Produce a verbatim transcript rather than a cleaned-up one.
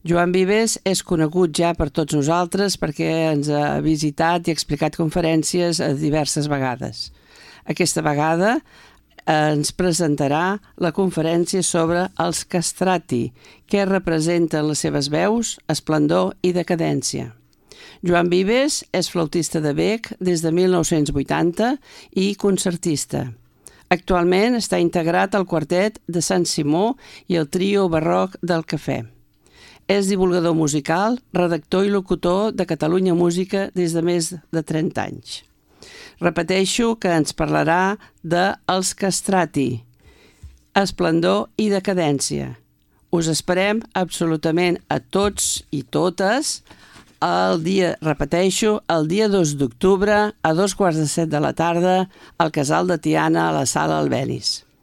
Joan Vives és conegut ja per tots nosaltres perquè ens ha visitat i ha explicat conferències a diverses vegades. Aquesta vegada ens presentarà la conferència sobre els castrati, què representen les seves veus, esplendor i decadència. Joan Vives és flautista de bec des de mil nou-cents vuitanta i concertista. Actualment està integrat al quartet de Sant Simó i el trio barroc del Cafè. És divulgador musical, redactor i locutor de Catalunya Música des de més de trenta anys. Repeteixo que ens parlarà de Els castrati, esplendor i decadència. Us esperem absolutament a tots i totes el dia, repeteixo, el dia dos d'octubre a dos quarts de set de la tarda al Casal de Tiana a la Sala Albéniz.